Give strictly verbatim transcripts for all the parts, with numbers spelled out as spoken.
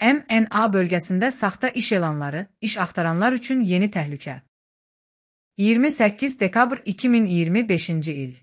M N A bölgəsində saxta iş elanları, iş axtaranlar üçün yeni təhlükə. iyirmi səkkiz dekabr iki min iyirmi beşinci il.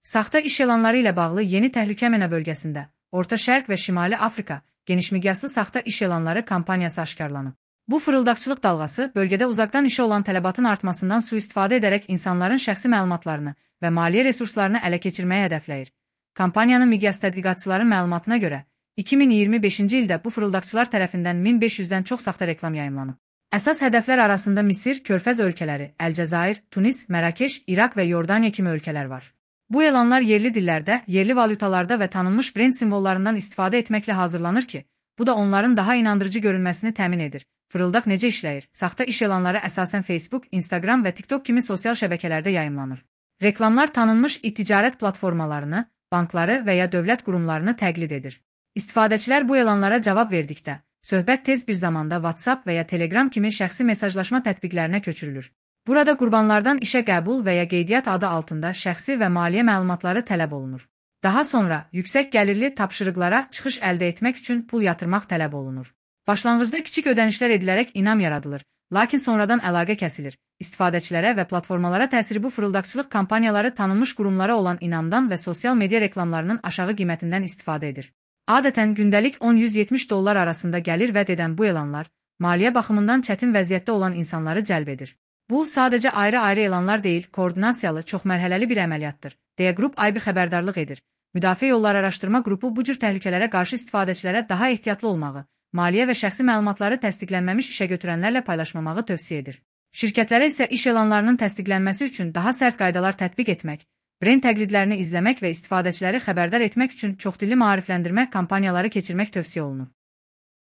Saxta iş elanları ilə bağlı yeni təhlükə M N A bölgəsində, Orta Şərq və Şimali Afrika genişmiqyaslı saxta iş elanları kampaniyası aşkarlanıb. Bu fırıldaqçılıq dalğası bölgədə uzaqdan işə olan tələbatın artmasından sui-istifadə edərək insanların şəxsi məlumatlarını və maliyyə resurslarını ələ keçirməyə hədəfləyir. Kampaniyanın miqyas tədqiqatçıların məlumatına görə, iki min iyirmi beşinci ildə bu fırıldaqçılar tərəfindən min beş yüzdən çox saxta reklam yayımlanıb. Əsas hədəflər arasında Misir, Körfəz ölkələri, Əlcəzair, Tunis, Mərakeş, İraq və Yordaniya kimi ölkələr var. Bu elanlar yerli dillərdə, yerli valyutalarda və tanınmış brend simvollarından istifadə etməklə hazırlanır ki, bu da onların daha inandırıcı görünməsini təmin edir. Fırıldaq necə işləyir? Saxta iş elanları əsasən Facebook, Instagram və TikTok kimi sosial şəbəkələrdə yayımlanır. Reklamlar tanınmış e-ticarət platformalarını, bankları və ya dövlət qurumlarını təqlid edir. İstifadəçilər bu elanlara cavab verdikdə, söhbət tez bir zamanda WhatsApp və ya Telegram kimi şəxsi mesajlaşma tətbiqlərinə köçürülür. Burada qurbanlardan işə qəbul və ya qeydiyyat adı altında şəxsi və maliyyə məlumatları tələb olunur. Daha sonra yüksək gəlirli tapşırıqlara çıxış əldə etmək üçün pul yatırmaq tələb olunur. Başlanğıcda kiçik ödənişlər edilərək inam yaradılır, lakin sonradan əlaqə kəsilir. İstifadəçilərə və platformalara təsiri bu fırıldaqçılıq kampaniyaları tanınmış qurumlara olan inamdan və sosial media reklamlarının aşağı qiymətindən istifadə edir. Adətən gündəlik on yüz yetmiş dollar arasında gəlir vəd edən bu elanlar, maliyyə baxımından çətin vəziyyətdə olan insanları cəlb edir. Bu, sadəcə ayrı-ayrı elanlar deyil, koordinasiyalı, çoxmərhələli bir əməliyyatdır, deyə Qrup I B xəbərdarlıq edir. Müdafiə Yolları Araşdırma Qrupu bu cür təhlükələrə qarşı istifadəçilərə daha ehtiyatlı olmağı, maliyyə və şəxsi məlumatları təsdiqlənməmiş işə götürənlərlə paylaşmamağı tövsiyə edir. Şirkətlərə isə iş elanlarının təsdiqlənməsi üçün daha sərt qaydalar tətbiq etmək, brend təqlidlərini izləmək və istifadəçiləri xəbərdar etmək üçün çoxdilli maarifləndirmə kampaniyaları keçirmək tövsiyə olunur.